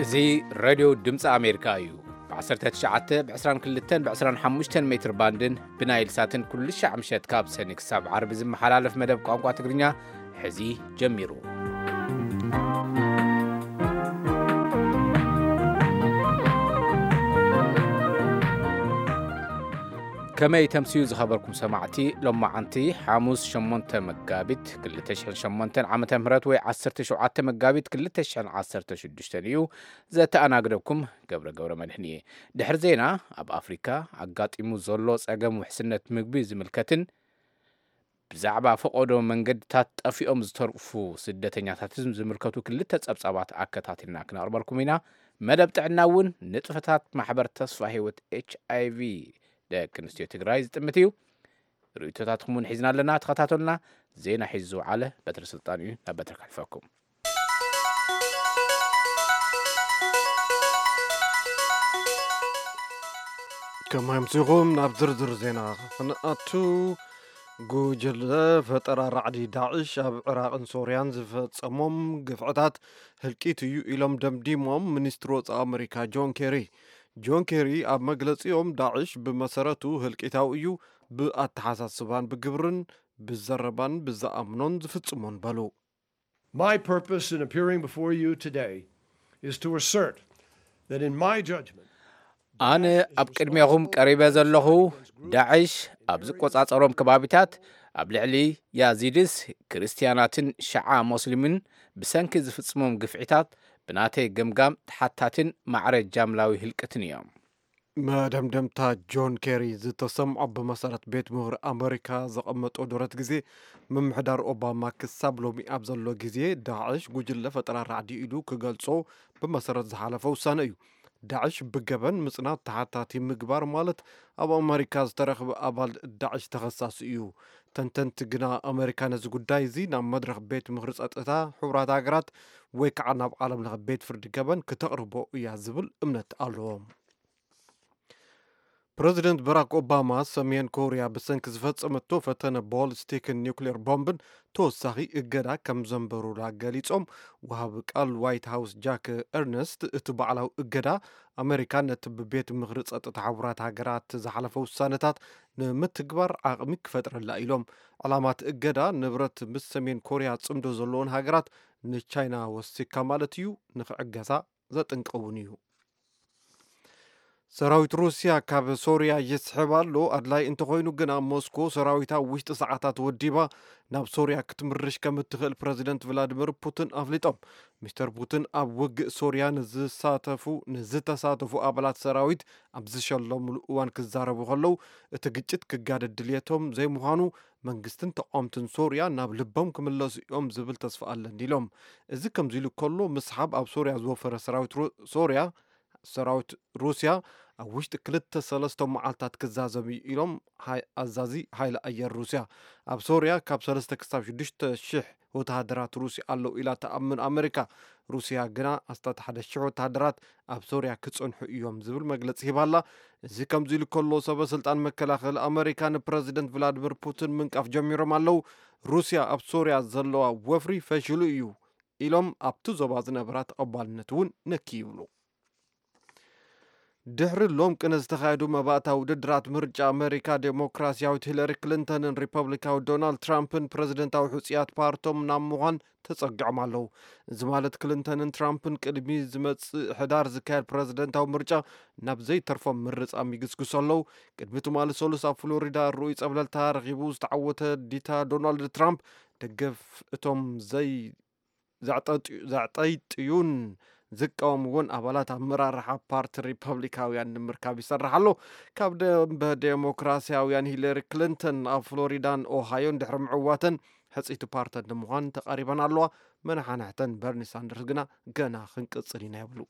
እዚ ሬድዮ ድምፂ ኣሜሪካ እዩ። ብ19፣ ብ22፣ ብ25 ሜትር ባንድን ብናይል ሳትን ኩሉ ሻዕ ምሸት ካብ ሰኒ ክሳብ ዓርቢ ዝመሓላለፍ መደብ ቋንቋ ትግርኛ ሕዚ ጀሚሩ። ከመይ ተምስዩ ዝኸበርኩም ሰማዕቲ? ሎማዓንቲ ሓሙስ ሸሞንተ መጋቢት ክልተ ሽሕን ሸሞንተን ዓመተ ምህረት ወይ ዓሰርተ ሸውዓተ መጋቢት ክልተ ሽሕን ዓሰርተ ሽዱሽተን እዩ። ዘተኣናግደኩም ገብረ ገብረ መድህን እየ። ድሕሪ ዜና ኣብ ኣፍሪካ ኣጋጢሙ ዘሎ ጸገም ውሕስነት ምግቢ ዝምልከትን ብዛዕባ ፈቐዶ መንገድታት ጠፊኦም ዝተርፉ ስደተኛታትን ዝምልከቱ ክልተ ጸብጻባት ኣከታቲልና ክነቕርበልኩም ኢና። መደብ ጥዕና እውን ንጥፈታት ማሕበር ተስፋ ህይወት ኤች ኣይ ቪ ደቂ ኣንስትዮ ትግራይ ዝጥምት እዩ። ርእይቶታትኩም እውን ሒዝና ኣለና፣ ተኸታተሉና። ዜና ሒዙ ዝውዓለ በትሪ ስልጣን እዩ፣ ናብ በትሪ ከሕልፈኩም። ከማይ ምስኹም ናብ ዝርዝር ዜና ክንኣቱ፣ ጉጅለ ፈጠራ ራዕዲ ዳዕሽ ኣብ ዕራቕን ሶርያን ዝፈጸሞም ግፍዕታት ህልቂት እዩ ኢሎም ደምዲሞም ሚኒስትሪ ወጻኢ ኣመሪካ ጆን ኬሪ። ጆን ኬሪ ኣብ መግለጺኦም፣ ዳዕሽ ብመሰረቱ ህልቂታዊ እዩ፣ ብኣተሓሳስባን ብግብርን ብዘረባን ብዝኣምኖን ዝፍጽሞን በሉ። My purpose in appearing before you today is to assert that in my judgment, ኣነ ኣብ ቅድሜኹም ቀሪበ ዘለኹ፣ ዳዕሽ ኣብ ዝቆጻጸሮም ከባቢታት ኣብ ልዕሊ ያዚድስ፣ ክርስትያናትን ሸዓ ሞስሊምን ብሰንኪ ዝፍጽሞም ግፍዒታት ብናተይ ገምጋም ተሓታትን ማዕረ ጃምላዊ ህልቅትን እዮም። መደምደምታ ጆን ኬሪ ዝተሰምዖ ብመሰረት ቤት ምኽሪ ኣመሪካ ዘቐመጦ ደረት ግዜ፣ ምምሕዳር ኦባማ ክሳብ ሎሚ ኣብ ዘሎ ግዜ ዳዕሽ ጉጅለ ፈጠራ ራዕዲ ኢሉ ክገልጾ ብመሰረት ዝሓለፈ ውሳነ እዩ። ዳዕሽ ብገበን ምጽናት ተሓታቲ ምግባር ማለት ኣብ ኣመሪካ ዝተረኽበ ኣባል ዳዕሽ ተኸሳሲ እዩ። ተንተንቲ ግና ኣመሪካ ነዚ ጉዳይ እዚ ናብ መድረኽ ቤት ምኽሪ ጸጥታ ሕቡራት ሃገራት ወይ ከዓ ናብ ዓለም ለኸ ቤት ፍርዲ ገበን ክተቕርቦ እያ ዝብል እምነት ኣለዎም። ፕረዚደንት ባራክ ኦባማ ሰሜን ኮርያ ብሰንኪ ዝፈጸመቶ ፈተነ ቦሊስቲክን ኒውክሌር ቦምብን ተወሳኺ እገዳ ከም ዘንበሩላ ገሊጾም። ወሃቢ ቃል ዋይት ሃውስ ጃክ ኤርነስት፣ እቲ ባዕላዊ እገዳ ኣመሪካ ነቲ ብቤት ምኽሪ ጸጥታ ሕቡራት ሃገራት ዝሓለፈ ውሳነታት ንምትግባር ዓቕሚ ክፈጥረላ ኢሎም። ዕላማ እቲ እገዳ ንብረት ምስ ሰሜን ኮርያ ጽምዶ ዘለዎን ሃገራት ንቻይና ወሲካ ማለት እዩ ንክዕገሳ ዘጥንቀውን እዩ። ሰራዊት ሩስያ ካብ ሶርያ ይስሕብ ኣሎ። ኣድላይ እንተኾይኑ ግና ሞስኮ ሰራዊታ ውሽጢ ሰዓታት ወዲባ ናብ ሶርያ ክትምርሽ ከም እትኽእል ፕረዚደንት ቭላድሚር ፑቲን ኣፍሊጦም። ሚስተር ፑቲን ኣብ ውግእ ሶርያ ንዝሳተፉ ንዝተሳተፉ ኣባላት ሰራዊት ኣብ ዝሸለሙሉ እዋን ክዛረቡ ከለዉ፣ እቲ ግጭት ክጋደድ ድልየቶም ዘይምዃኑ መንግስትን ተቃወምትን ሶርያ ናብ ልቦም ክምለሱ እዮም ዝብል ተስፋ ኣለኒ ኢሎም። እዚ ከምዚ ኢሉ ከሎ፣ ምስሓብ ኣብ ሶርያ ዝወፈረ ሰራዊት ሩ- ሶርያ ሰራዊት ሩስያ ኣብ ውሽጢ ክልተ ሰለስተ መዓልታት ክዛዘም እዩ ኢሎም። ሃይ- ኣዛዚ ሓይሊ ኣየር ሩስያ፣ ኣብ ሶርያ ካብ ሰለስተ ክሳብ ሽዱሽተ ሽሕ ወተሃደራት ሩስያ ኣለዉ ኢላ ትኣምን ኣመሪካ። ሩስያ ግና ኣስታት ሓደ ሽሕ ወተሃደራት ኣብ ሶርያ ክጸንሑ እዮም ዝብል መግለጺ ሂባላ። እዚ ከምዚ ኢሉ ከሎ፣ ሰበ ስልጣን መከላኸሊ ኣመሪካ ንፕረዚደንት ቭላድሚር ፑቲን ምንቃፍ ጀሚሮም ኣለዉ። ሩስያ ኣብ ሶርያ ዘለዋ ወፍሪ ፈሽሉ እዩ ኢሎም ኣብቲ ዞባ ዝነበራ ተቐባልነት እውን ነኪ ይብሉ። ድሕሪ ሎም ቅነ ዝተኻየዱ መባእታ ውድድራት ምርጫ ኣመሪካ፣ ዴሞክራሲያዊት ሂለሪ ክሊንተንን ሪፐብሊካዊ ዶናልድ ትራምፕን ፕረዚደንታዊ ሕጹያት ፓርቶም ናብ ምዃን ተጸጊዖም ኣለዉ። እዚ ማለት ክሊንተንን ትራምፕን ቅድሚ ዝመጽእ ሕዳር ዝካየድ ፕረዚደንታዊ ምርጫ ናብ ዘይተርፎም ምርጻም ይግስግሱ ኣለዉ። ቅድሚ ትማሊ ሰሉስ ኣብ ፍሎሪዳ ርኡይ ጸብለልታ ረኺቡ ዝተዓወተ ዲታ ዶናልድ ትራምፕ፣ ደገፍ እቶም ዘይ ዘዕጠጥዩ- ዘዕጠይጥዩን ዝቃወምዎን ኣባላት ኣመራርሓ ፓርቲ ሪፐብሊካውያን ንምርካብ ይሰርሕ ኣሎ። ካብ ደንበ ዴሞክራሲያውያን ሂለሪ ክሊንተን ኣብ ፍሎሪዳን ኦሃዮን ድሕሪ ምዕዋተን፣ ሕጽይቲ ፓርተን ንምዃን ተቓሪበን ኣለዋ። መናሓንሕተን በርኒ ሳንደርስ ግና ገና ክንቅጽል ኢና ይብሉ።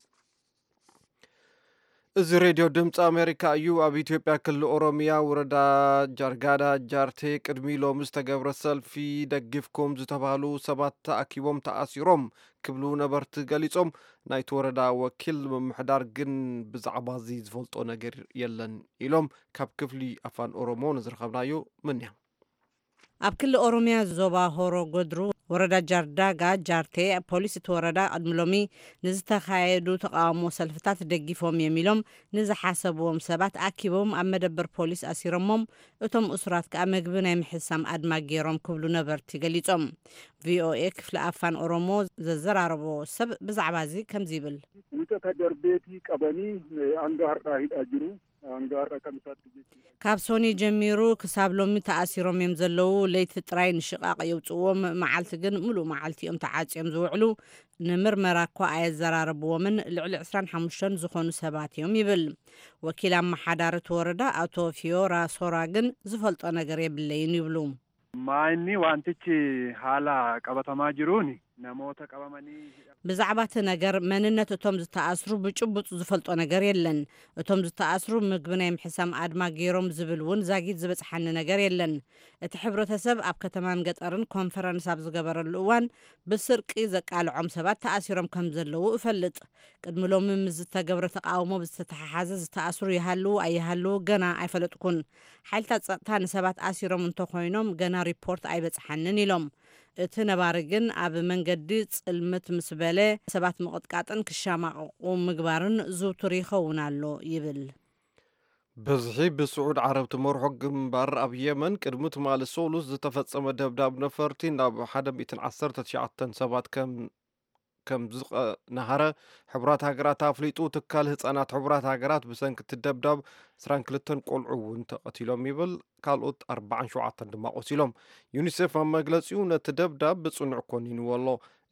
እዚ ሬድዮ ድምፂ ኣሜሪካ እዩ። ኣብ ኢትዮጵያ ክልል ኦሮሚያ ወረዳ ጃርጋዳ ጃርቴ ቅድሚ ሎሚ ዝተገብረ ሰልፊ ደጊፍኩም ዝተባህሉ ሰባት ተኣኪቦም ተኣሲሮም ክብሉ ነበርቲ ገሊጾም። ናይቲ ወረዳ ወኪል ምምሕዳር ግን ብዛዕባ እዚ ዝፈልጦ ነገር የለን ኢሎም ካብ ክፍሊ ኣፋን ኦሮሞ ንዝረኸብናዮ ምንያ። ኣብ ክልል ኦሮሚያ ዞባ ሆሮ ጎድሩ ወረዳ ጃርዳጋ ጃርቴ፣ ፖሊስ እቲ ወረዳ ቅድሚ ሎሚ ንዝተኻየዱ ተቓውሞ ሰልፍታት ደጊፎም እዮም ኢሎም ንዝሓሰብዎም ሰባት ኣኪቦም ኣብ መደበር ፖሊስ ኣሲሮሞም፣ እቶም እሱራት ከኣ መግቢ ናይ ምሕሳም ኣድማ ገይሮም ክብሉ ነበርቲ ገሊጾም። ቪኦኤ ክፍሊ ኣፋን ኦሮሞ ዘዘራረቦ ሰብ ብዛዕባ እዚ ከምዚ ይብል። Wixata darbeetii qabanii hanga har'aa hidhaa jiru. Hanga har'a kan isaatti jechuudha. ካብ ሶኒ ጀሚሩ ክሳብ ሎሚ ተኣሲሮም እዮም ዘለዉ። ለይቲ ጥራይ ንሽቓቕ የውፅዎም፣ መዓልቲ ግን ምሉእ መዓልቲ እዮም ተዓፅዮም ዝውዕሉ። ንምርመራ እኳ ኣየዘራረብዎምን። ልዕሊ ዕስራን ሓሙሽተን ዝኾኑ ሰባት እዮም ይብል። ወኪል ኣመሓዳሪ እቲ ወረዳ ኣቶ ፊዮራ ሶራ ግን ዝፈልጦ ነገር የብለይን ይብሉ። Maayinni wantichi haala qabatamaa jiruun namoota qabamanii hidha- ብዛዕባ እቲ ነገር መንነት እቶም ዝተኣስሩ ብጭቡጥ ዝፈልጦ ነገር የለን። እቶም ዝተኣስሩ ምግቢ ናይ ምሕሳም ኣድማ ገይሮም ዝብል እውን ዛጊት ዝበጽሓኒ ነገር የለን። እቲ ሕብረተሰብ ኣብ ከተማን ገጠርን ኮንፈረንስ ኣብ ዝገበረሉ እዋን ብስርቂ ዘቃልዖም ሰባት ተኣሲሮም ከም ዘለዉ እፈልጥ። ቅድሚ ሎሚ ምስ ዝተገብረ ተቃውሞ ብዝተተሓሓዘ ዝተኣስሩ ይሃልዉ ኣይሃልዉ ገና ኣይፈለጥኩን። ሓይልታት ጸጥታ ንሰባት ኣሲሮም እንተኾይኖም ገና ሪፖርት ኣይበጽሓንን ኢሎም። እቲ ነባሪ ግን ኣብ መንገዲ ጽልምት ምስ በለ ሰባት ምቕጥቃጥን ክሻማቕቑ ምግባርን ዝውቱር ይኸውን ኣሎ ይብል። በዝሒ ብስዑድ ዓረብ ትመርሖ ግንባር ኣብ የመን ቅድሚ ትማሊ ሰሉስ ዝተፈጸመ ደብዳብ ነፈርቲ ናብ ሓደ ሚእትን ዓሰርተ ትሽዓተን ሰባት ከም ከም ዝቐናሃረ ሕቡራት ሃገራት ኣፍሊጡ። ትካል ህጻናት ሕቡራት ሃገራት ብሰንኪ እቲ ደብዳብ ዕስራን ክልተን ቆልዑ እውን ተቐቲሎም ይብል፣ ካልኦት ኣርባዓን ሸውዓተን ድማ ቆሲሎም። ዩኒሴፍ ኣብ መግለጺኡ ነቲ ደብዳብ ብጽኑዕ ኮኒንዎ ኣሎ።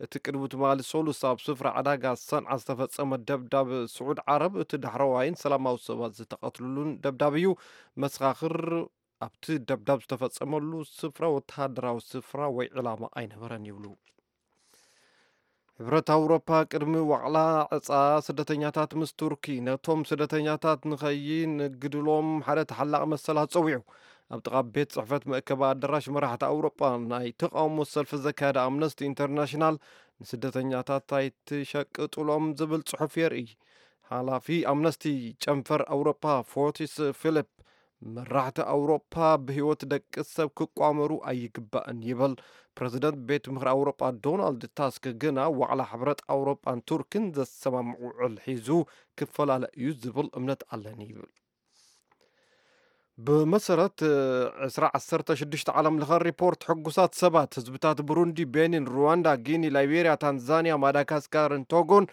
እቲ ቅድሚ ትማሊ ሰሉስ ኣብ ስፍራ ዕዳጋ ሰንዓ ዝተፈጸመ ደብዳብ ስዑድ ዓረብ እቲ ዳሕረዋይን ሰላማዊ ሰባት ዝተቐትሉሉን ደብዳብ እዩ። መሰኻኽር ኣብቲ ደብዳብ ዝተፈጸመሉ ስፍራ ወተሃደራዊ ስፍራ ወይ ዕላማ ኣይነበረን ይብሉ። ሕብረት ኣውሮፓ ቅድሚ ዋዕላ ዕጻ ስደተኛታት ምስ ቱርኪ ነቶም ስደተኛታት ንኸይንግድሎም ሓደ ተሓላቒ መሰል ኣጸዊዑ። ኣብ ጥቓ ቤት ጽሕፈት መእከቢ ኣዳራሽ መራሕቲ ኣውሮፓ ናይ ተቓውሞ ሰልፊ ዘካየደ ኣምነስቲ ኢንተርናሽናል ንስደተኛታት ኣይትሸቅጥሎም ዝብል ጽሑፍ የርኢ። ሓላፊ ኣምነስቲ ጨንፈር ኣውሮፓ ፎርቲስ ፊሊፕ መራሕቲ ኣውሮፓ ብህይወት ደቂ ሰብ ክቋመሩ ኣይግባእን ይብል። ፕረዚደንት ቤት ምኽሪ ኣውሮፓ ዶናልድ ታስክ ግና ዋዕላ ሕብረት ኣውሮፓን ቱርክን ዘሰማምዕ ውዕል ሒዙ ክፈላለ እዩ ዝብል እምነት ኣለኒ ይብል። ብመሰረት ዕስራ ዓሰርተ ሽዱሽተ ዓለም ለኸ ሪፖርት ሕጉሳት ሰባት ህዝብታት ብሩንዲ፣ ቤኒን፣ ሩዋንዳ፣ ጊኒ፣ ላይቤርያ፣ ታንዛንያ፣ ማዳጋስካርን ቶጎን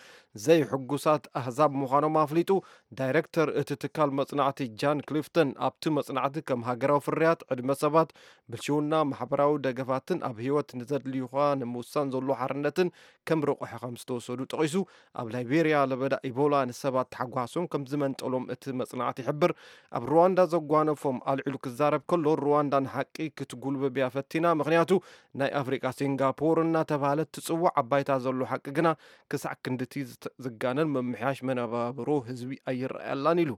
ዘይሕጉሳት ኣህዛብ ምዃኖም ኣፍሊጡ። ዳይሬክተር እቲ ትካል መጽናዕቲ ጃን ክሊፍተን ኣብቲ መጽናዕቲ ከም ሃገራዊ ፍርያት፣ ዕድመ ሰባት፣ ብልሽውና፣ ማሕበራዊ ደገፋትን ኣብ ህይወት ንዘድልዩኻ ንምውሳን ዘሎ ሓርነትን ከም ረቑሒ ከም ዝተወሰዱ ጠቒሱ፣ ኣብ ላይቤርያ ለበዳ ኢቦላ ንሰባት ተሓጓሶም ከም ዝመንጠሎም እቲ መጽናዕቲ ይሕብር። ኣብ ሩዋንዳ ዘጓነፎም ኣልዒሉ ክዛረብ ከሎ፣ ሩዋንዳ ንሓቂ ክትጉልብብ እያ ፈቲና፣ ምኽንያቱ ናይ ኣፍሪቃ ሲንጋፖር እናተባህለት ትጽዋዕ። ኣብ ባይታ ዘሎ ሓቂ ግና ክሳዕ ክንድቲ ዝተ- ዝጋነን ምምሕያሽ መነባብሮ ህዝቢ ኣይረኣየላን ኢሉ።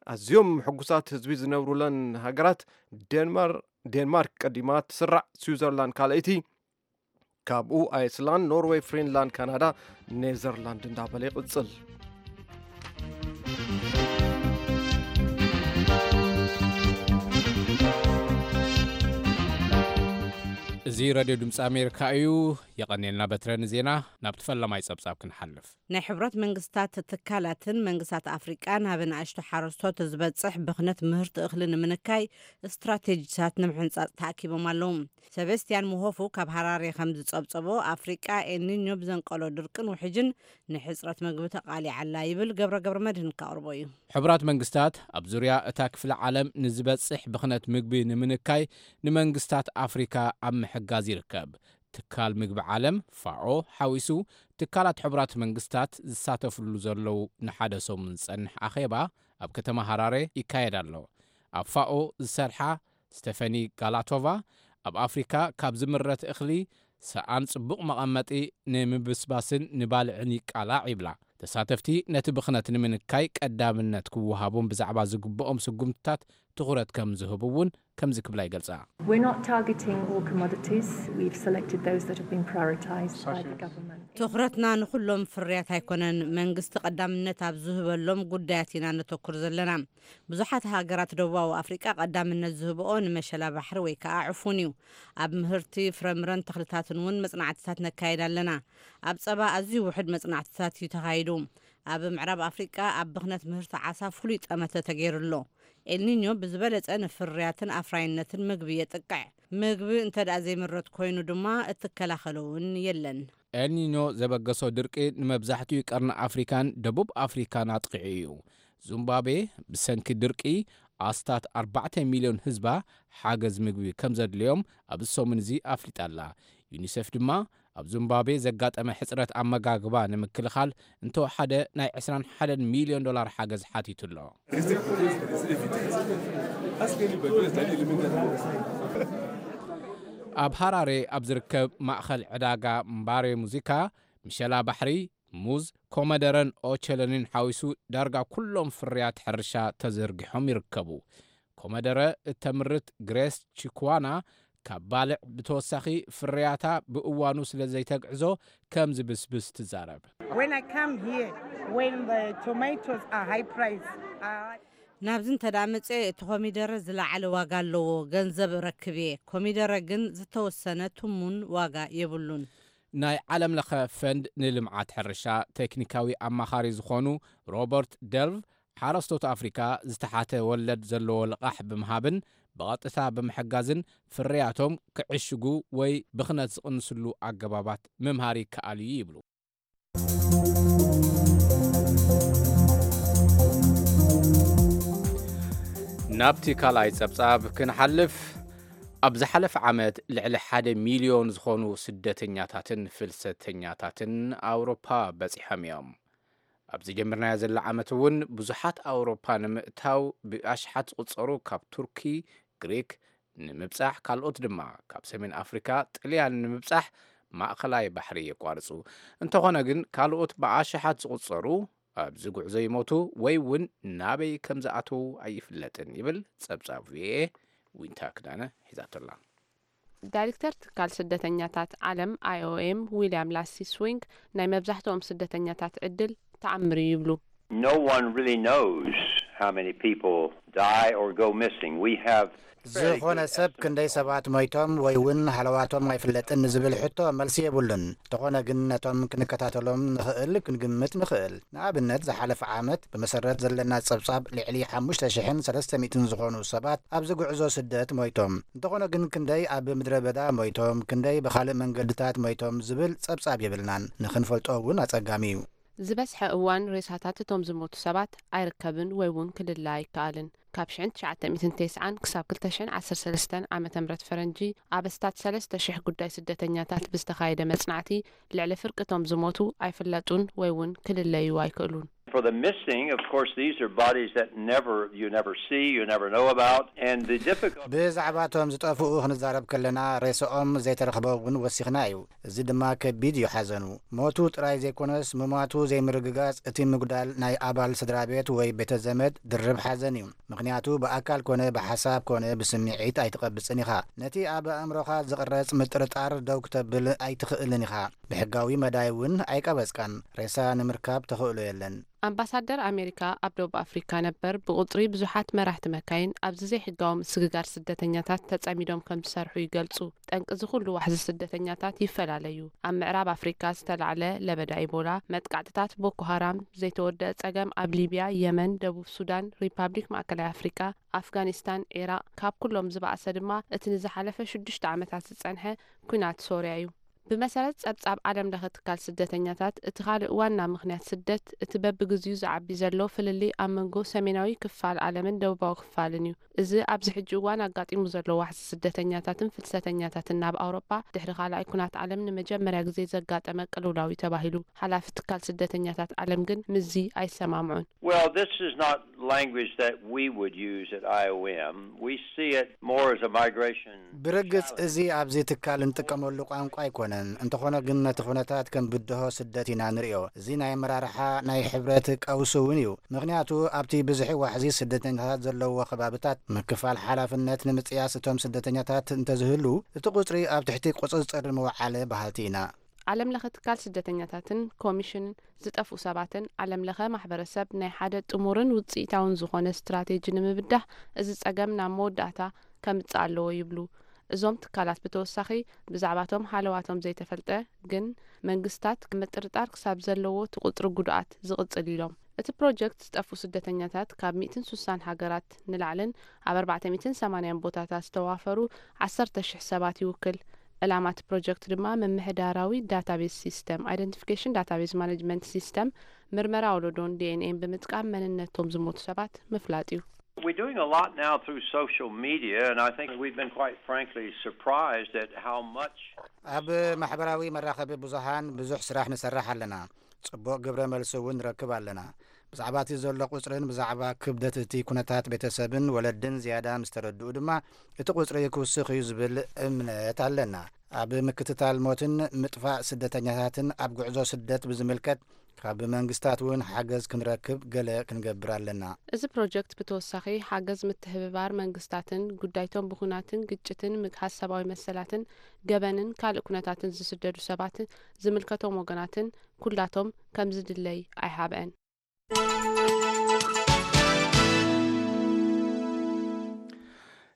ኣዝዮም ሕጉሳት ህዝቢ ዝነብሩለን ሃገራት ዴንማር- ዴንማርክ ቀዲማ ትስራዕ፣ ስዊዘርላንድ ካልኣይቲ፣ ካብኡ ኣይስላንድ፣ ኖርዌይ፣ ፍሪንላንድ፣ ካናዳ፣ ኔዘርላንድ እንዳበለ ይቕጽል። እዚ ሬድዮ ድምፂ ኣሜሪካ እዩ። የቐኔልና በትረ ንዜና። ናብቲ ፈለማይ ጸብጻብ ክንሓልፍ። ናይ ሕብረት መንግስታት ትካላትን መንግስታት ኣፍሪቃ ናብ ንኣሽቱ ሓረስቶት ዝበጽሕ ብኽነት ምህርቲ እኽሊ ንምንካይ ስትራቴጂታት ንምሕንጻጽ ተኣኪቦም ኣለዉ። ሰበስቲያን ምሆፉ ካብ ሃራሬ ከም ዝጸብጸቦ፣ ኣፍሪቃ ኤልኒኞ ብዘንቀሎ ድርቅን ውሕጅን ንሕጽረት መግቢ ተቓሊዓ ኣላ ይብል። ገብረ ገብረ መድህን ከቕርቦ እዩ። ሕቡራት መንግስታት ኣብ ዙርያ እታ ክፍለ ዓለም ንዝበጽሕ ብኽነት ምግቢ ንምንካይ ንመንግስታት ኣፍሪካ ኣብ ምሕጋዝ ይርከብ። ትካል ምግቢ ዓለም ፋኦ ሓዊሱ ትካላት ሕቡራት መንግስታት ዝሳተፍሉ ዘለዉ ንሓደ ሰሙን ዝጸንሕ ኣኼባ ኣብ ከተማ ሃራሬ ይካየድ ኣሎ። ኣብ ፋኦ ዝሰርሓ ስተፈኒ ጋላቶቫ፣ ኣብ ኣፍሪካ ካብ ዝምረት እኽሊ ሰኣን ጽቡቕ መቐመጢ ንምብስባስን ንባልዕን ይቃላዕ ይብላ። ተሳተፍቲ ነቲ ብኽነት ንምንካይ ቀዳምነት ክወሃቦም ብዛዕባ ዝግብኦም ስጉምትታት ትኹረት ከም ዝህቡ እውን ከምዚ ክብላ ይገልጻ። We're not targeting all commodities. We've selected those that have been prioritized by the government. ትኹረትና ንኹሎም ፍርያት ኣይኮነን። መንግስቲ ቀዳምነት ኣብ ዝህበሎም ጉዳያት ኢና ነተኩር ዘለና። ብዙሓት ሃገራት ደቡባዊ ኣፍሪቃ ቀዳምነት ዝህብኦ ንመሸላ ባሕሪ ወይ ከዓ ዕፉን እዩ። ኣብ ምህርቲ ፍረምረን ተኽልታትን እውን መጽናዕትታት ነካየድ ኣለና። ኣብ ጸባ ኣዝዩ ውሑድ መጽናዕትታት እዩ ተኻይዱ። ኣብ ምዕራብ ኣፍሪቃ ኣብ ብኽነት ምህርቲ ዓሳ ፍሉይ ጠመተ ተገይሩ ኣሎ። ኤልኒኞ ብዝበለጸ ንፍርያትን ኣፍራይነትን ምግቢ የጥቅዕ። ምግቢ እንተ ደኣ ዘይምረት ኮይኑ ድማ እትከላኸሎ እውን የለን። ኤልኒኞ ዘበገሶ ድርቂ ንመብዛሕትኡ ቀርኒ ኣፍሪካን ደቡብ ኣፍሪካን ኣጥቂዑ እዩ። ዙምባቤ ብሰንኪ ድርቂ ኣስታት ኣርባዕተ ሚልዮን ህዝባ ሓገዝ ምግቢ ከም ዘድልዮም ኣብዚ ሰሙን እዚ ኣፍሊጣ ኣላ። ዩኒሴፍ ድማ ኣብ ዙምባቤ ዘጋጠመ ሕፅረት ኣመጋግባ ንምክልኻል እንተወሓደ ናይ ዕስራን ሓደን ሚልዮን ዶላር ሓገዝ ሓቲቱ ኣሎ። ኣብ ሃራሬ ኣብ ዝርከብ ማእኸል ዕዳጋ ምባሬ ሙዚካ፣ ምሸላ ባሕሪ፣ ሙዝ፣ ኮመደረን ኦቸሎኒን ሓዊሱ ዳርጋ ኩሎም ፍርያት ሕርሻ ተዘርጊሖም ይርከቡ። ኮመደረ እተምርት ግሬስ ቺክዋና፣ ካብ ባልዕ ብተወሳኺ ፍርያታ ብእዋኑ ስለ ዘይተግዕዞ ከም ዝብስብስ ትዛረብ። When I come here, when the tomatoes are high price, uh, ናብዚ እንተ ደኣ መጸ እቲ ኮሚደረ ዝለዓለ ዋጋ ኣለዎ፣ ገንዘብ እረክብ እየ። ኮሚደረ ግን ዝተወሰነ ትሙን ዋጋ የብሉን። ናይ ዓለም ለኸ ፈንድ ንልምዓት ሕርሻ ቴክኒካዊ ኣማኻሪ ዝኾኑ ሮበርት ደልቭ፣ ሓረስቶት ኣፍሪካ ዝተሓተ ወለድ ዘለዎ ልቓሕ ብምሃብን ብቐጥታ ብምሕጋዝን ፍርያቶም ክዕሽጉ ወይ ብኽነት ዝቕንስሉ ኣገባባት ምምሃር ይከኣል እዩ ይብሉ። ናብቲ ካልኣይ ጸብጻብ ክንሓልፍ፣ ኣብ ዝሓለፈ ዓመት ልዕሊ ሓደ ሚልዮን ዝኾኑ ስደተኛታትን ፍልሰተኛታትን ኣውሮፓ በጺሖም እዮም። ኣብ ዝጀመርናዮ ዘሎ ዓመት እውን ብዙሓት ኣውሮፓ ንምእታው ብኣሽሓት ዝቑጸሩ ካብ ቱርኪ፣ ግሪክ፣ ንምብጻሕ፣ ካልኦት ድማ ካብ ሰሜን ኣፍሪካ፣ ጥልያን ንምብጻሕ ማእኸላይ ባሕሪ የቋርጹ። እንተኾነ ግን ካልኦት ብኣሽሓት ዝቑጸሩ ኣብዚ ጉዕዞ ይሞቱ ወይ እውን ናበይ ከም ዝኣትዉ ኣይፍለጥን ይብል ጸብጻብ ቪኦኤ። ዊንታ ክዳነ ሒዛቶላ። ዳይሬክተር ትካል ስደተኛታት ዓለም ኣይኦኤም ዊልያም ላሲ ስዊንግ ናይ መብዛሕትኦም ስደተኛታት ዕድል ተኣምር እዩ ይብሉ። No one really knows how many people die or go missing. We have ዝኾነ ሰብ ክንደይ ሰባት ሞይቶም ወይ እውን ሃለዋቶም ኣይፍለጥን ንዝብል ሕቶ መልሲ የብሉን። እንተኾነ ግን ነቶም ክንከታተሎም ንኽእል ክንግምት ንኽእል። ንኣብነት ዝሓለፈ ዓመት ብመሰረት ዘለና ጸብጻብ ልዕሊ ሓሙሽተ ሽሕን ሰለስተ ሚእትን ዝኾኑ ሰባት ኣብዚ ጉዕዞ ስደት ሞይቶም። እንተኾነ ግን ክንደይ ኣብ ምድረ በዳ ሞይቶም፣ ክንደይ ብኻልእ መንገድታት ሞይቶም ዝብል ጸብጻብ የብልናን። ንኽንፈልጦ እውን ኣጸጋሚ እዩ። ዝበዝሐ እዋን ሬሳታት እቶም ዝሞቱ ሰባት ኣይርከብን ወይ እውን ክልለ ኣይከኣልን። ካብ ሽሕን ትሽዓተ ሚእትን ተስዓን ክሳብ ክልተ ሽሕን ዓሰርተ ሰለስተን ዓመተ ምህረት ፈረንጂ ኣብ ኣስታት ሰለስተ ሽሕ ጉዳይ ስደተኛታት ብዝተኻየደ መጽናዕቲ ልዕሊ ፍርቂ እቶም ዝሞቱ ኣይፍለጡን ወይ እውን ክልለዩ ኣይክእሉን። For the missing, of course, these are bodies that never you never see, you never know about, and the difficulty. ብዛዕባ እቶም ዝጠፍኡ ክንዛረብ ከለና ሬስኦም ዘይተረኽበ እውን ወሲኽና እዩ። እዚ ድማ ከቢድ እዩ ሓዘኑ። ሞቱ ጥራይ ዘይኮነስ ምሟቱ ዘይምርግጋጽ እቲ ምጉዳል ናይ ኣባል ስድራ ቤት ወይ ቤተ ዘመድ ድርብ ሓዘን እዩ። ምኽንያቱ ብኣካል ኮነ ብሓሳብ ኮነ ብስምዒት ኣይትቐብጽን ኢኻ። ነቲ ኣብ ኣእምሮኻ ዝቕረጽ ምጥርጣር ደው ክተብል ኣይትኽእልን ኢኻ። ብሕጋዊ መዳይ እውን ኣይቀበጽካን። ሬሳ ንምርካብ ተኽእሎ የለን። ኣምባሳደር ኣሜሪካ ኣብ ደቡብ ኣፍሪካ ነበር ብቁጽሪ ብዙሓት መራሕቲ መካይን ኣብዚ ዘይሕጋዊ ምስግጋር ስደተኛታት ተጸሚዶም ከም ዝሰርሑ ይገልጹ። ጠንቂ እዚ ኩሉ ዋሕዚ ስደተኛታት ይፈላለዩ። ኣብ ምዕራብ ኣፍሪካ ዝተላዕለ ለበዳ ኢቦላ፣ መጥቃዕትታት ቦኮ ሃራም፣ ዘይተወደአ ጸገም ኣብ ሊብያ፣ የመን፣ ደቡብ ሱዳን፣ ሪፓብሊክ ማእከላይ ኣፍሪካ፣ ኣፍጋኒስታን፣ ዒራቕ፣ ካብ ኩሎም ዝበኣሰ ድማ እቲ ንዝሓለፈ ሽዱሽተ ዓመታት ዝጸንሐ ኲናት ሶርያ እዩ። ብመሰረት ጸብጻብ ዓለም ለኸ ትካል ስደተኛታት፣ እቲ ካልእ ዋና ምኽንያት ስደት እቲ በብግዚኡ ዝዓቢ ዘሎ ፍልልይ ኣብ መንጎ ሰሜናዊ ክፋል ዓለምን ደቡባዊ ክፋልን እዩ። እዚ ኣብዚ ሕጂ እዋን ኣጋጢሙ ዘሎ ዋሕዚ ስደተኛታትን ፍልሰተኛታትን ናብ ኣውሮጳ ድሕሪ ካልኣይ ኩናት ዓለም ንመጀመርያ ግዜ ዘጋጠመ ቅልውላው እዩ ተባሂሉ። ሓላፊ ትካል ስደተኛታት ዓለም ግን ምስዚ ኣይሰማምዑን። Well, this is not language that we would use at I O M. We see it more as a migration. ብርግጽ እዚ ኣብዚ ትካል እንጥቀመሉ ቋንቋ ኣይኮነን። እንተኾነ ግን ነቲ ኩነታት ከም ብድሆ ስደት ኢና ንርእዮ። እዚ ናይ ኣመራርሓ ናይ ሕብረት ቀውሲ እውን እዩ። ምኽንያቱ ኣብቲ ብዝሒ ዋሕዚ ስደተኛታት ዘለዎ ከባብታት ምክፋል ሓላፍነት ንምጽያስ እቶም ስደተኛታት እንተዝህሉ እቲ ቁጽሪ ኣብ ትሕቲ ቁጽጽር ምውዓለ በሃልቲ ኢና። ዓለም ለኸ ትካል ስደተኛታትን ኮሚሽን ዝጠፍኡ ሰባትን ዓለም ለኸ ማሕበረሰብ ናይ ሓደ ጥሙርን ውፅኢታውን ዝኾነ ስትራቴጂ ንምብዳህ እዚ ፀገም ናብ መወዳእታ ከምፅእ ኣለዎ ይብሉ። እዞም ትካላት ብተወሳኺ ብዛዕባቶም ሃለዋቶም ዘይተፈልጠ ግን መንግስታት ምጥርጣር ክሳብ ዘለዎ እቲ ቁፅሪ ጉድኣት ዝቕፅል ኢሎም። እቲ ፕሮጀክት ዝጠፍኡ ስደተኛታት ካብ ሚእትን ሱሳን ሃገራት ንላዕልን ኣብ ኣርባዕተ ሚእትን ሰማንያን ቦታታት ዝተዋፈሩ ዓሰርተ ሽሕ ሰባት ይውክል። ዕላማ እቲ ፕሮጀክት ድማ ምምሕዳራዊ ዳታቤዝ ሲስተም፣ ኣይደንቲፊኬሽን ዳታቤዝ ማኔጅመንት ሲስተም፣ ምርመራ ወለዶን ዲ ኤን ኤን ብምጥቃም መንነቶም ዝሞቱ ሰባት ምፍላጥ እዩ። We're doing a lot now through social media, and I think we've been quite frankly surprised at how much ኣብ ማሕበራዊ መራኸቢ ብዙሃን ብዙሕ ስራሕ ንሰርሕ ኣለና። ጽቡቕ ግብረ መልሲ እውን ንረክብ ኣለና። ብዛዕባ እቲ ዘሎ ቁጽርን ብዛዕባ ክብደት እቲ ኩነታት ቤተሰብን ወለድን ዝያዳ ምስ ተረድኡ ድማ እቲ ቁጽሪ ክውስኽ እዩ ዝብል እምነት ኣለና። ኣብ ምክትታል ሞትን ምጥፋእ ስደተኛታትን ኣብ ጉዕዞ ስደት ብዝምልከት ካብ መንግስታት እውን ሓገዝ ክንረክብ ገለ ክንገብር ኣለና። እዚ ፕሮጀክት ብተወሳኺ ሓገዝ ምትሕብባር መንግስታትን ጉዳይቶም ብኹናትን ግጭትን ምግሃስ ሰብኣዊ መሰላትን ገበንን ካልእ ኩነታትን ዝስደዱ ሰባት ዝምልከቶም ወገናትን ኩላቶም ከምዝድለይ ኣይሃብአን።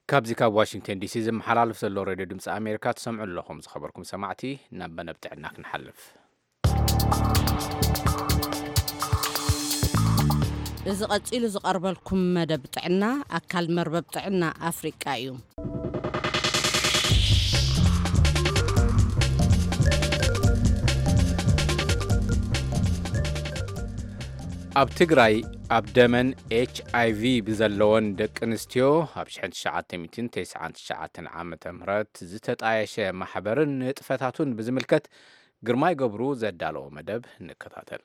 ካብዚ ካብ ዋሽንግተን ዲሲ ዝመሓላለፍ ዘሎ ሬድዮ ድምፂ ኣሜሪካ ትሰምዑ ኣለኹም። ዝኸበርኩም ሰማዕቲ፣ ናብ መደብ ጥዕና ክንሓልፍ። እዚ ቀጺሉ ዝቐርበልኩም መደብ ጥዕና ኣካል መርበብ ጥዕና ኣፍሪቃ እዩ። ኣብ ትግራይ ኣብ ደመን ኤች ኣይ ቪ ብዘለወን ደቂ ኣንስትዮ ኣብ ሽሕን ትሽዓተ ሚእትን ተስዓን ትሽዓተን ዓመተ ምህረት ዝተጣየሸ ማሕበርን ንጥፈታቱን ብዝምልከት ግርማይ ገብሩ ዘዳለዎ መደብ ንከታተል።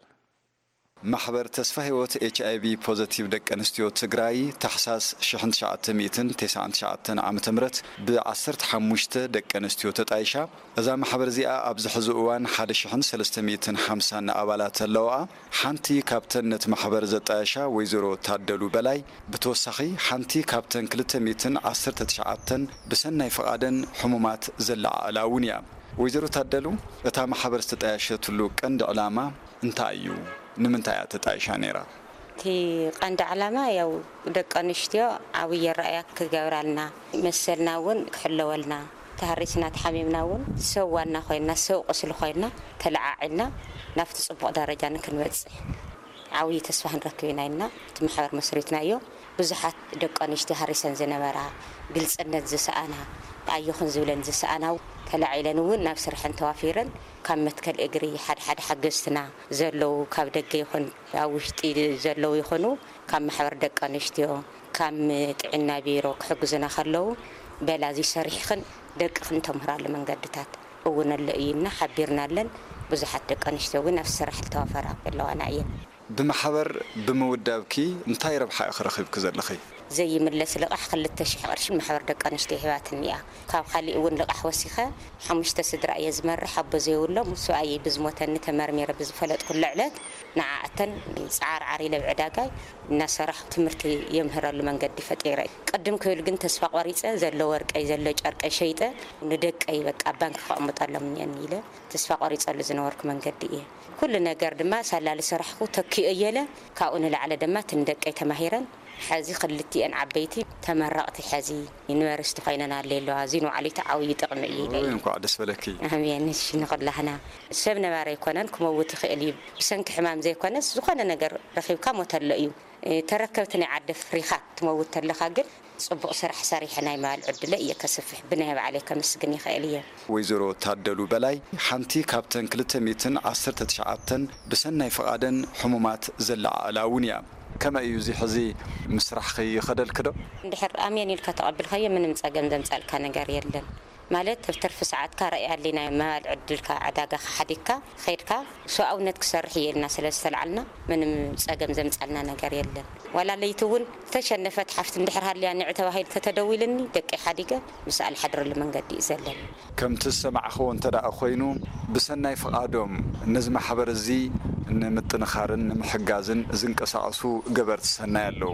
ማሕበር ተስፋ ህይወት ኤች ኣይ ቪ ፖዘቲቭ ደቂ ኣንስትዮ ትግራይ ታሕሳስ ሽሕን ትሽዓተ ሚእትን ተስዓን ትሽዓተን ዓመተ ምህረት ብ ዓሰርተ ሓሙሽተ ደቂ ኣንስትዮ ተጣይሻ። እዛ ማሕበር እዚኣ ኣብዚ ሕዚ እዋን ሓደ ሽሕን ሰለስተ ሚእትን ሓምሳን ኣባላት ኣለዋኣ። ሓንቲ ካብተን ነቲ ማሕበር ዘጣየሻ ወይዘሮ ታደሉ በላይ ብተወሳኺ ሓንቲ ካብተን ክልተ ሚእትን ዓሰርተ ትሽዓተን ብሰናይ ፍቓደን ሕሙማት ዘለዓዕላ እውን እያ። ወይዘሮ ታደሉ፣ እታ ማሕበር ዝተጣየሸትሉ ቀንዲ ዕላማ እንታይ እዩ? ንምንታይ እያ ተጣይሻ ነይራ? እቲ ቀንዲ ዕላማ ያው ደቂ ኣንስትዮ ዓብዪ ኣረኣእያ ክገብራልና፣ መሰልና እውን ክሕለወልና፣ ተሃሪስና ተሓሚምና እውን ሰብ ዋና ኮይንና፣ ሰብ ቁስሊ ኮይንና፣ ተለዓዒልና ናብቲ ጽቡቕ ደረጃ ንክንበጽሕ ዓብዪ ተስፋ ክንረክብ ኢና ኢልና እቲ ማሕበር መስሪትናዮ። ብዙሓት ደቂ ኣንስትዮ ሃሪሰን ዝነበራ፣ ግልጽነት ዝሰኣና፣ ኣየኹን ዝብለን ዝሰኣና ተላዒለን እውን ናብ ስርሐን ተዋፊረን ካብ መትከል እግሪ ሓደ ሓደ ሓገዝትና ዘለዉ ካብ ደገ ይኹን ኣብ ውሽጢ ዘለዉ ይኹኑ ካብ ማሕበር ደቂ ኣንስትዮ ካብ ጥዕና ቢሮ ክሕግዙና ከለዉ በላ እዚ ሰሪሕኽን ደቅኽን ተምህራሉ መንገድታት እውን ኣሎ እዩ እና ሓቢርናለን ብዙሓት ደቂ ኣንስትዮ እውን ኣብ ስራሕ ዝተዋፈራ ዘለዋና እየን። ብማሕበር ብምውዳብኪ እንታይ ረብሓ ኢኺ ረኺብኪ ዘለኺ? ዘይምለስ ልቓሕ ክልተ ሽሕ ቅርሺ ማሕበር ደቂ ኣንስትዮ ሂባትኒ እያ። ካብ ካሊእ እውን ልቓሕ ወሲኸ ሓሙሽተ ስድራ እየ ዝመርሕ፣ ኣቦ ዘይብሎም፣ ሰብኣየይ ብዝሞተኒ ተመርሚረ ብዝፈለጥኩሉ ዕለት ንዓኣተን ጻዓርዓር ኢለ ኣብ ዕዳጋይ እናሰራሕኩ ትምህርቲ የምህረሉ መንገዲ ፈጢረ። ቅድም ክብል ግን ተስፋ ቆሪጸ፣ ዘሎ ወርቀይ ዘሎ ጨርቀይ ሸይጠ ንደቀይ በቃ ኣብ ባንክ ከቕምጠሎም እኒአኒ ኢለ ተስፋ ቆሪጸሉ ዝነበርኩ መንገዲ እየ። ኩሉ ነገር ድማ ሳላ ዝሰራሕኩ ተኪኦየለ ካብኡ ንላዕሊ ድማ እተን ደቀይ ተማሂረን ሕዚ ክልቲኤን ዓበይቲ ተመረቕቲ ሕዚ ዩኒቨርሲቲ ኮይነን ኣለ ኣለዋ። እዚ ንባዕሉ እቲ ዓብዪ ጥቕሚ እዩ ኢለ እየ። እንኳዕ ደስ በለኪ። ኣሜን። እሺ ንኹላህና ሰብ ነባሪ ኣይኮነን ክመውት ይኽእል እዩ። ብሰንኪ ሕማም ዘይኮነስ ዝኾነ ነገር ረኺብካ ሞት ኣሎ እዩ። ተረከብቲ ናይ ዓዲ ኣፍሪኻ ትመውት ተለኻ ግን ጽቡቕ ስራሕ ሰሪሐ ናይ ምባል ዕድለ እየ ከስፍሕ ብናይ ባዕለይ ከመስግን ይኽእል እየ። ወይዘሮ ታደሉ በላይ ሓንቲ ካብተን ክልተ ሚእትን ዓሰርተ ትሽዓተን ብሰናይ ፍቓደን ሕሙማት ዘለዓዕላ እውን እያ። ከመይ እዩ እዚ ሕዚ ምስራሕኺ ይኸደልኪ ዶ? እንድሕር ኣሜን ኢልካ ተቐብልካዮ ምንም ጸገም ዘምጻልካ ነገር የለን። ማለት ኣብ ትርፊ ሰዓትካ ራእይ ኣሊና መባልዕ ዕድልካ ዕዳጋ ሓዲግካ ኸይድካ ሰብኣውነት ክሰርሕ እየ ኢልና ስለ ዝተልዓልና ምንም ጸገም ዘምጻልና ነገር የለን። ዋላ ለይቲ እውን ዝተሸነፈት ሓፍቲ እንድሕር ሃልያ ንዕ ተባሂሉ ተተደዊልኒ ደቂ ሓዲገ ምስኣ ልሓድረሉ መንገዲ እዩ ዘለኒ። ከምቲ ዝሰማዕኽዎ እንተ ደኣ ኮይኑ፣ ብሰናይ ፍቓዶም ነዚ ማሕበር እዚ ንምጥንኻርን ንምሕጋዝን ዝንቀሳቐሱ ገበርቲ ሰናይ ኣለዉ።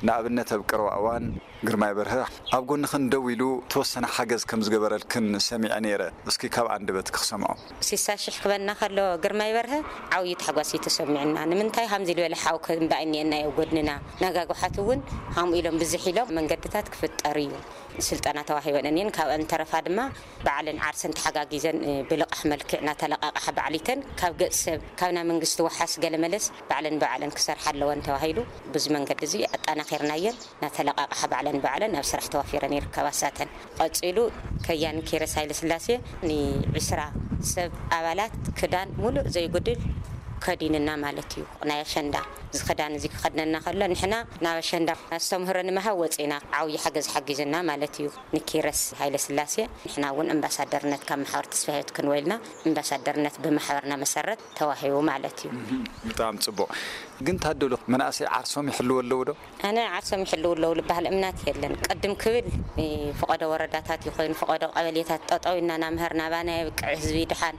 ንኣብነት፣ ኣብ ቀረባ እዋን ግርማይ በርሀ ኣብ ጎንኽን ደው ኢሉ ተወሰነ ሓገዝ ከም ዝገበረልክን ሰሚዐ ነይረ። እስኪ ካብ ኣንደበትኪ ክሰምዖ። ስሳ ሽሕ ክበና ከሎ ግርማይ በርሀ ዓብዪ ታሕጓስ እዩ ተሰሚዑና። ንምንታይ ከምዚ ዝበለ ሓው ከ እምበኣይ እኒአና ኣብ ጎድንና። ነጋጉሓት እውን ከምኡ ኢሎም ብዝሕ ኢሎም መንገድታት ክፍጠር እዩ። ስልጠና ተዋሂበን እኒን ካብአን ተረፋ ድማ ባዕለን ዓርሰን ተሓጋጊዘን ብልቓሕ መልክዕ እናተለቃቕሓ ባዕሊተን ካብ ገጽ ሰብ ካብ ናይ መንግስቲ ወሓስ ገለመለስ ባዕለን ባዕለን ክሰርሓ ኣለወን ተባሂሉ። ብዙ መንገዲ እዚ ኣጣናኺርናየን እናተለቃቕሓ ባዕለን ባዕለን ኣብ ስራሕ ተዋፊረን ይርከባ። ሳተን ቀጺሉ ከያን ኪረስ ሃይለስላሴ ንዒስራ ሰብ ኣባላት ክዳን ሙሉእ ዘይጉድል ከዲንና ማለት እዩ። ናይ ኣሸንዳ እዚ ክዳን እዚ ክኸድነና ከሎ ንሕና ናብ ኣሸንዳ ኣስተምህሮ ንምሃብ ወፂና። ዓብዪ ሓገዝ ሓጊዙና ማለት እዩ ንኪረስ ሃይለስላሴ። ንሕና እውን ኣምባሳደርነት ካብ ማሕበር ተስፋ ህይወት ክንወልና ኣምባሳደርነት ብማሕበርና መሰረት ተዋሂቡ ማለት እዩ። ብጣዕሚ ፅቡቕ። ግን ታደሉ መናእሰይ ዓርሶም ይሕልዎ ኣለዉ ዶ? ኣነ ዓርሶም ይሕልው ኣለዉ ልበሃል እምናት የለን። ቅድም ክብል ፈቐዶ ወረዳታት ይኾይኑ ፈቐዶ ቀበሌታት ጠጠው ኢልና ናምህር ናባና የብቅዕ ህዝቢ ድሓን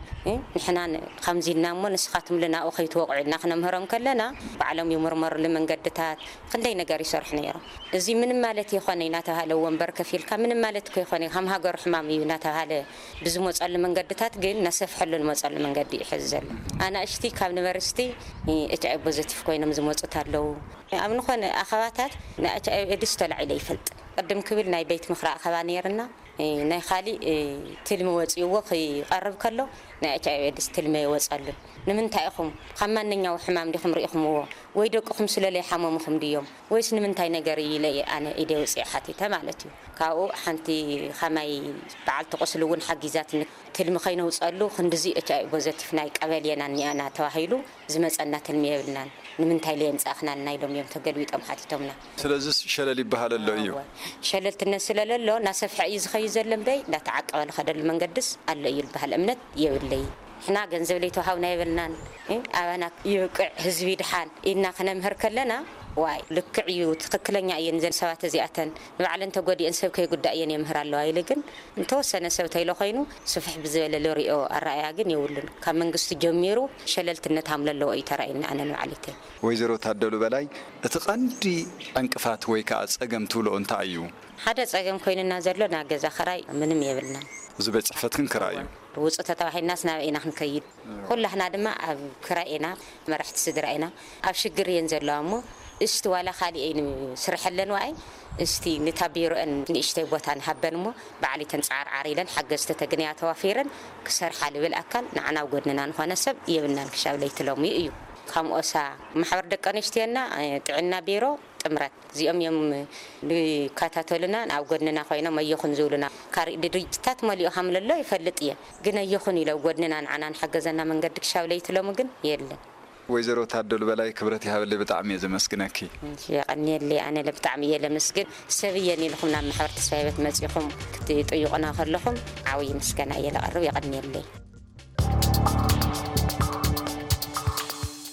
ንሕና ከምዚ ኢልና እሞ ንስኻትምሉ ናብኡ ከይትወቕዑ ኢልና ክነምህሮም ከለና ባዕሎም ይምርመሩሉ መንገድታት ክንደይ ነገር ይሰርሑ ነይሮም። እዚ ምንም ማለት ይኾነ እናተባሃለ ወንበር ከፊልካ ምንም ማለት እኮ ይኾነ ከም ሃገሩ ሕማም እዩ እናተባሃለ ብዝመፀሉ መንገድታት ግን እናሰፍሐሉ ዝመፀሉ መንገዲ እዩ ሕዚ ዘሎ። ኣናእሽቲ ካብ ዩኒቨርሲቲ ኤች ኣይ ፖዘቲቭ ኮይኖም ዝመፁት ኣለዉ። ኣብ ንኾነ ኣኸባታት ንኤች ኣይ ቪ ኤድስ ተላዒለ ይፈልጥ። ቅድም ክብል ናይ ቤት ምኽሪ ኣኸባ ነይርና። ናይ ካሊእ ትልሚ ወፂእዎ ክቐርብ ከሎ ናይ ኤች ኣይ ቪ ኤድስ ትልሚ ይወፀሉን። ንምንታይ ኢኹም ካብ ማንኛው ሕማም ዲኹም ርኢኹምዎ? ወይ ደቅኹም ስለ ለይሓመሙኹም ድዮም? ወይስ ንምንታይ ነገር እዩ ኢለ እየ ኣነ ኢደ ውፅኤ ሓቲተ ማለት እዩ። ካብኡ ሓንቲ ኸማይ በዓልቲ ቁስሊ እውን ሓጊዛትኒ። ትልሚ ከይነውፀሉ ክንድዚ ኤች ኣይ ቪ ፖዘቲቭ ናይ ቀበሌና እኒኣና ተባሂሉ ዝመፀና ትልሚ የብልናን። ንምንታይ ለየምፃእኽናልና ኢሎም እዮም ተገልቢጦም ሓቲቶምና። ስለዚ ሸለል ይበሃል ኣሎ እዩ። እወ። ሸለልትነት ስለለሎ እናሰፍሐ እዩ ዝኸይድ ዘሎ እምበይ እንዳተዓቀበ ዝኸደሉ መንገድስ ኣሎ እዩ ዝበሃል እምነት የብለይ። ንሕና ገንዘብ ለይተዋሃብና የብልናን። እ? ኣባና ይብቅዕ ህዝቢ ድሓን ኢልና ክነምህር ከለና ዋይ ልክዕ እዩ ትኽክለኛ እየን ዘን ሰባት እዚኣተን ንባዕለን ተጎዲአን ሰብ ከይጉዳእ እየን የምህር ኣለዋ ኢለ ግን እንተወሰነ ሰብ ተይሎ ኮይኑ ስፍሕ ብዝበለ ልሪኦ ኣረኣያ ግን የብሉን። ካብ መንግስቲ ጀሚሩ ሸለልትነት ሃምለ ኣለዎ እዩ ተራእየኒ ኣነ ንባዕለይተይ። ወይዘሮ ታደሉ በላይ፣ እቲ ቀንዲ ዕንቅፋት ወይ ከዓ ጸገም ትብሎ እንታይ እዩ? ሓደ ጸገም ኮይኑና ዘሎ ናይ ገዛ ክራይ ምንም የብልናን። እዚ ቤት ጽሕፈትክን ክራይ እዩ? ውጹእ ተተባሂልናስ ናበይ ኢና ክንከይድ? ኩላህና ድማ ኣብ ክራይ ኢና፣ መራሕቲ ስድራ ኢና። ኣብ ሽግር እየን ዘለዋ እሞ እስቲ ዋላ ካሊእ ስርሐለን ዋኣይ እስቲ ንታ ቢሮአን ንእሽተይ ቦታ ንሃበን እሞ ባዕሊተን ጻዕርዓር ኢለን ሓገዝቲ ተግንያ ተዋፊረን ክሰርሓ ልብል ኣካል ንዓና ኣብ ጎድንና ንኾነ ሰብ የብልናን ክሻብ ለይቲ ሎሚ እዩ። ከም ኦሳ ማሕበር ደቂ ኣንስትዮና ጥዕና ቢሮ ጥምረት እዚኦም እዮም ዝከታተሉና ኣብ ጎድንና ኮይኖም ኣየኹን ዝብሉና ካሪእ ድርጅታት መሊኡ ከም ለሎ ይፈልጥ እየ ግን ኣየኹን ኢለ ኣብ ጎድንና ንዓና ንሓገዘና መንገዲ ክሻብ ለይቲ ሎሚ ግን የለን። ወይዘሮ ታደሉ በላይ ክብረት ይሃበለይ ብጣዕሚ እየ ዘመስግነኪ። እሺ፣ የቐንየለይ ኣነ ብጣዕሚ እየ ለመስግን ሰብ እየን ኢልኹም ናብ ማሕበር ተስፋ ህይወት መፂኹም ክትጥይቑና ከለኹም ዓብዪ ምስጋና እየ ለቐርብ የቐንየለይ።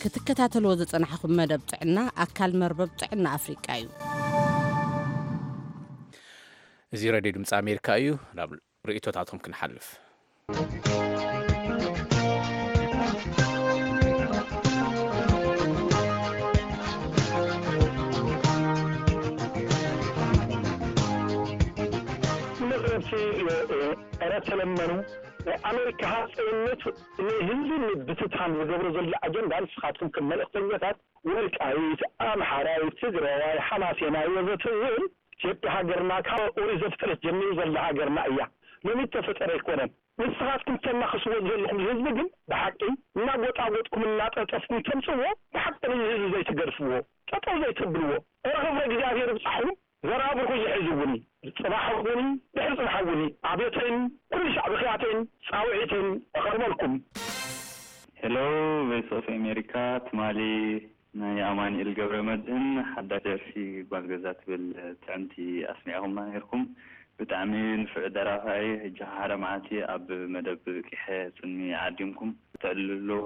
ክትከታተልዎ ዝጸናሕኹም መደብ ጥዕና ኣካል መርበብ ጥዕና ኣፍሪቃ እዩ። እዚ ሬድዮ ድምፂ ኣሜሪካ እዩ። ናብ ርእይቶታትኩም ክንሓልፍ። መቕረብቲ ረ ተለመኑ ኣሜሪካ ሃፀይነት ንህዝቢ ምብትታን ዝገብሮ ዘሎ ኣጀንዳ ንስኻትኩም ከም መልእክተኛታት ወልቃይት ኣምሓራይ ትግራዋይ ሓማሴናይ ወዘተ ዝብል ኢትዮጵያ ሃገርና ካብ ኦሪት ዘፍጥረት ጀሚሩ ዘላ ሃገርና እያ። ሎሚ እተፈጠረ ኣይኮነን። ንስኻትኩም ተናኽስዎ ዘለኹም ህዝቢ ግን ብሓቂ እናጎጣጎጥኩም እናጠጠፍኩም ተምፅዎ ብሓቂ ንህዝቢ ዘይትገድፍዎ ጠጠው ዘይተብልዎ ርኽብረ እግዚኣብሔር ብፃሕኩም ዘራብርኩ ይሕዝውኒ። ፅባሕ እውን ድሕሪ ፅባሕ እውን ኣብዮተይን ኩሉ ሻዕ ብክያተይን ፃውዒተይን እቐርበልኩም። ሄሎ ቮይስ ኦፍ ኣሜሪካ ትማሊ ናይ ኣማኒኤል ገብረ መድህን ሓዳሽ ደርፊ ጓል ገዛ ትብል ጥዕምቲ ኣስሚዕኹምና ነይርኩም። ብጣዕሚ ንፉዕ ደራፋይ። ሕጂ ሓደ መዓልቲ ኣብ መደብ ቂሐ ጽልሚ ዓዲምኩም ተዕልልዎ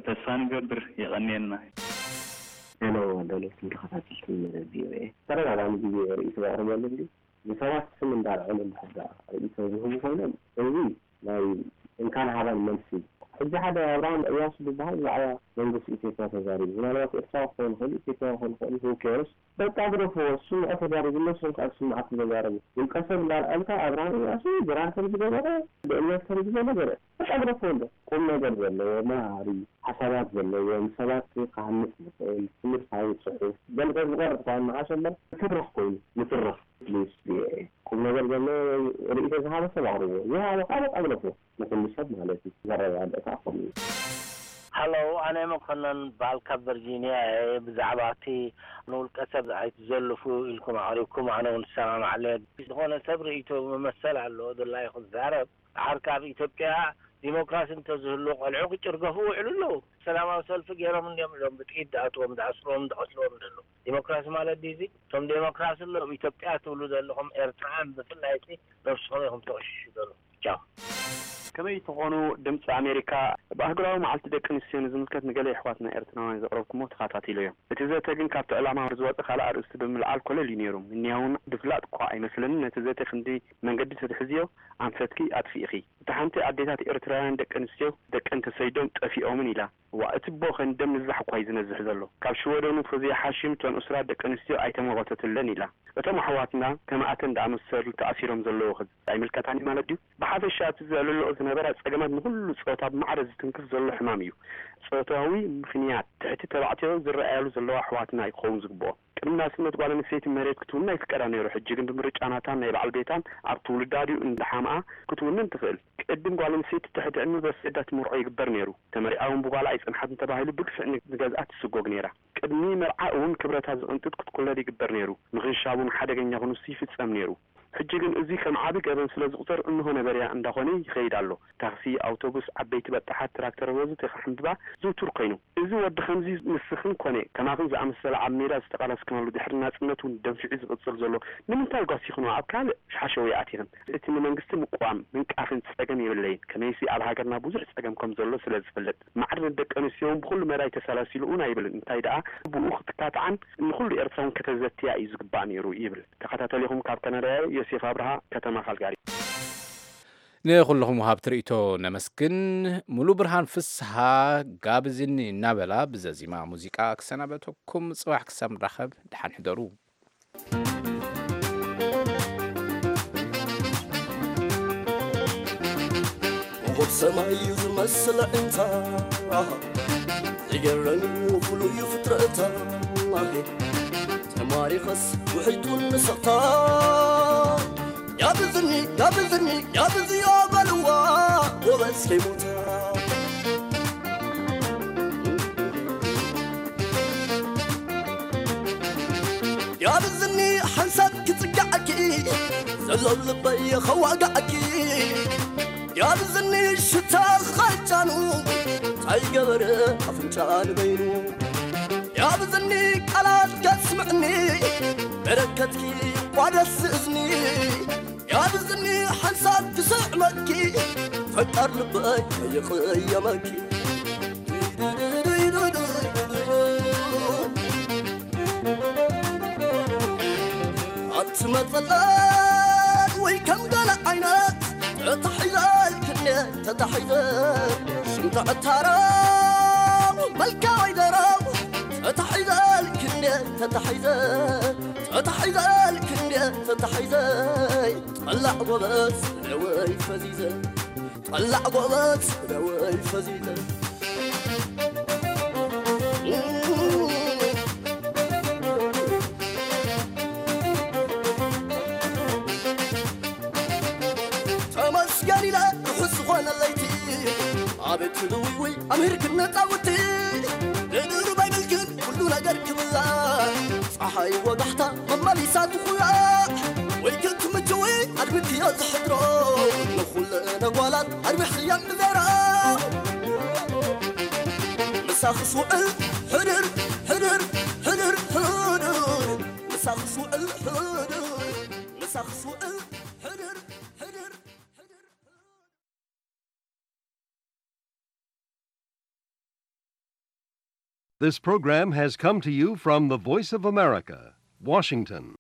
ተስፋ ንገብር። የቐንየልና። ሄሎ፣ ደለይትን ተኸታተልትን መደብ ቪኦኤ። ተደጋጋሚ ግዜ ርእይቶ ዘቕርበሉ እንዲ ንሰባት ስም እንዳልዐሉ እንድሕር ደኣ ርእይቶ ዝህቡ ኮይኖም፣ እዚ ናይ እንካን ሃባን መልሲ። ሕጂ ሓደ ኣብርሃም እያሱ ዝበሃል ብዛዕባ መንግስቲ ኢትዮጵያ ተዛሪቡ። ምናልባት ኤርትራዊ ክኸውን ይኽእል፣ ኢትዮጵያዊ ክኸውን ይኽእል፣ who cares? በቃ ግደፍዎ፣ ዝስምዖ ተዛሪቡ፣ እነሱን ካብ ዝስምዓኩም ተዛረቡ። ውልቀ ሰብ እንዳልዐልካ ኣብርሃም እያሱ ድራር ከም ዝገበረ፣ ብእምነት ከም ዝገበረ፣ በቃ ግደፍዎ እንዶ። ቁም ነገር ዘለዎ፣ መሃሪ፣ ሓሳባት ዘለዎ፣ ንሰባት ክሃንጽ ዝኽእል፣ ትምህርታዊ ጽሑፍ፣ ገለ ሰብ ዝቐርብ እኳ መዓሽ እምበር፣ ትርኽ ኮይኑ፣ ንትርኽ፣ ፕሊስ፣ ቪኦኤ። ቁም ነገር ዘለዎ ርእይቶ ዝሃበ ሰብ ኣቕርብዎ። ዘይሃበ ከዓ በቃ ግደፍዎ። ንኹሉ ሰብ ማለት እዩ። ዘረጋግእ ከዓ ከምኡ እዩ። ሃሎ፣ ኣነ መኮነን ባልካ ቨርጂንያ እየ። ብዛዕባ እቲ ንውልቀ ሰብ ኣይትዘልፉ ኢልኩም ኣቕሪብኩም፣ ኣነ እውን እሰማማዕ ኣለየ። ዝኾነ ሰብ ርእይቶ መመሰል ኣለዎ፣ ድላዩ ክዛረብ። ዓርካ ኣብ ኢትዮጵያ ዲሞክራሲ እንተዝህሉ ቆልዑ ክጭርገፉ ይውዕሉ ኣለዉ። ሰላማዊ ሰልፊ ገይሮም እንዲዮም ኢሎም ብጥይት ዝኣትዎም፣ ዝኣስርዎም፣ ዝቐትልዎም ዘለዉ። ዲሞክራሲ ማለት ድዩ እዚ? እቶም ዴሞክራሲ ኣሎ ኣብ ኢትዮጵያ ትብሉ ዘለኹም ኤርትራውያን ብፍላይ እቲ ነብስኹም ኢኹም ተቕሽሹ ዘለኹም። ቻው። ከመይ ትኾኑ? ድምፂ ኣሜሪካ ብኣህጉራዊ መዓልቲ ደቂ ኣንስትዮ ንዝምልከት ንገለ የሕዋትና ኤርትራውያን ዘቕረብኩሞ ተኸታቲለዮ። እቲ ዘተ ግን ካብቲ ዕላማ ዝወፀ ካልእ ኣርእስቲ ብምልዓል ኮለል እዩ ነይሩ። እኒኣ እውን ድፍላጥ እኳ ኣይመስለንን። ነቲ ዘተ ክንዲ መንገዲ ተትሕዝዮ ኣንፈትኪ ኣጥፊእኺ። እታ ሓንቲ ኣዴታት ኤርትራውያን ደቂ ኣንስትዮ ደቀን ተሰይዶም ጠፊኦምን ኢላ። እዋ፣ እቲ ቦኸን ደም ንዛሕ እኳ እዩ ዝነዝሕ ዘሎ። ካብ ሽወደኑ ፎዝያ ሓሽም እተን እሱራት ደቂ ኣንስትዮ ኣይተመወተትለን ኢላ። እቶም ኣሕዋትና ከማእተን ዝኣመሰሉ ተኣሲሮም ዘለዉ ኸ ኣይምልከታን እዩ ማለት ድዩ? ብሓፈሻ እቲ ዘዕልልኦ ዝነበራ ጸገማት ንኹሉ ጾታ ብማዕረ ዝትንክፍ ዘሎ ሕማም እዩ። ጾታዊ ምኽንያት ትሕቲ ተባዕትዮ ዝረኣያሉ ዘለዋ ኣሕዋትና እዩ ክኸውን ዝግብኦ። ቅድሚ ናጽነት ጓል ኣንስተይቲ መሬት ክትውንን ኣይፍቀዳ ነይሩ። ሕጂ ግን ብምርጫ ናታን ናይ በዓል ቤታን ኣብ ትውልዳ ድዩ እንዳሓምኣ ክትውንን ትኽእል። ቅድም ጓል ኣንስተይቲ ትሕቲ ዕድመ በሰዳ ትምርዖ ይግበር ነይሩ። ተመሪዓ እውን ብጓላ ኣይጸንሓትን ተባሂሉ ብግፍዒ ንገዝኣ ትስጎግ ነይራ። ቅድሚ መርዓ እውን ክብረታ ዝቕንጥጥ ክትኩለል ይግበር ነይሩ። ምኽንሻብ እውን ሓደገኛ ክንሱ ይፍጸም ነይሩ። ሕጂ ግን እዚ ከም ዓቢ ገበን ስለ ዝቑጸር እንሆ ነበርያ እንዳኾነ ይኸይድ ኣሎ። ታክሲ፣ ኣውቶቡስ፣ ዓበይቲ በጣሓት፣ ትራክተር ወዘተ ክሕንብባ ዝውቱር ኮይኑ። እዚ ወዲ ከምዚ ንስኽን ኮነ ከማኽን ዝኣመሰለ ኣብ ሜዳ ዝተቓለስክናሉ ድሕሪ ናጽነት እውን ደንፊዑ ዝቕጽል ዘሎ ንምንታይ ጓሲኽንዎ? ኣብ ካልእ ሓሸውየ ኣቲኽን? እቲ ንመንግስቲ ምቅዋም ምንቃፍን ጸገም የብለይን። ከመይሲ ኣብ ሃገርና ብዙሕ ጸገም ከም ዘሎ ስለ ዝፈልጥ። ማዕርነት ደቂ ኣንስትዮ እውን ብኹሉ መዳይ ተሰላሲሉ እውን ኣይብልን። እንታይ ደኣ ብኡ ክትካትዓን ንኹሉ ኤርትራውን ከተዘትያ እዩ ዝግባእ ነይሩ ይብል። ተኸታተሊኹም ካብ ካናዳ ዮሴፍ ኣብርሃ ከተማ ካልጋሪ። ንኹልኹም ወሃብቲ ርእይቶ ነመስግን። ሙሉ ብርሃን ፍስሃ ጋብዝኒ እናበላ ብዘዚማ ሙዚቃ ክሰናበተኩም። ጽባሕ ክሳብ ንራኸብ ደሓን ሕደሩ። ኮኾብ ሰማይ እዩ ዝመስል ኣዒንታ፣ ዝገርም ፍሉይ እዩ ፍጥረታ። ተማሪኸስ ውሕይቱን ንስቕታ፣ ያብዝኒ፣ ያብዝኒ፣ ያብዝዮ በልዋ፣ ጎበዝ ከይሞታ። ያብዝኒ ሓንሳብ ክጽጋዓኪ፣ ዘሎ ልበይ ኸዋጋዓኪ። ያብዝኒ ሽታ ኸጫኑ፣ እንታይ ገበረ ኣፍንጫ ንበይኑ። ያብዝኒ ቃላት ከስምዕኒ፣ በረከትኪ ቋደስ እዝኒ። ያብዝኒ ሓንሳብ ክስዕመኪ፣ ፈቃር ልበይ ከይቕየመኪ። ኣቲ መጸለል ወይ ከም ገለ ዓይነት፣ ተታሒዘልክኒ ተታሒዘ፣ ሽምታ ዕታረው መልካ ወይ ደረው፣ ተታሒዘልክኒ ተታሒዘ፣ ተታሒዘልክኒ ተታሒዘ። ጠላዕ ጎበዝ ደወይ ፈዚዘ፣ ጠላዕ ጎበዝ ደወይ ፈዚዘ። ተመስገን ኢለ ርሑስ ዝኾነ ለይቲ፣ ኣቤት ልውይውይ ኣምሂርክን ነጻውቲ። ንድሩብ ኣይብልክን ኩሉ ነገር ክብላዕ፣ ጸሓይ ወጋሕታ መመሊሳ ትኹላዕ። ወይ ክትምችዊ ኣድሚክዮ ዝሕድሮ፣ ንኹለን ጓላት ኣርቢሕክየን ብዘራ። ምሳኽስ ውዕል ሕድር፣ ሕድር፣ ሕድር፣ ሕድር። ምሳኽስ ውዕል ሕድር። ሰኽስ ውዕል ሕድር ሕድር ሕድር። This program has come to you from the Voice of America, Washington.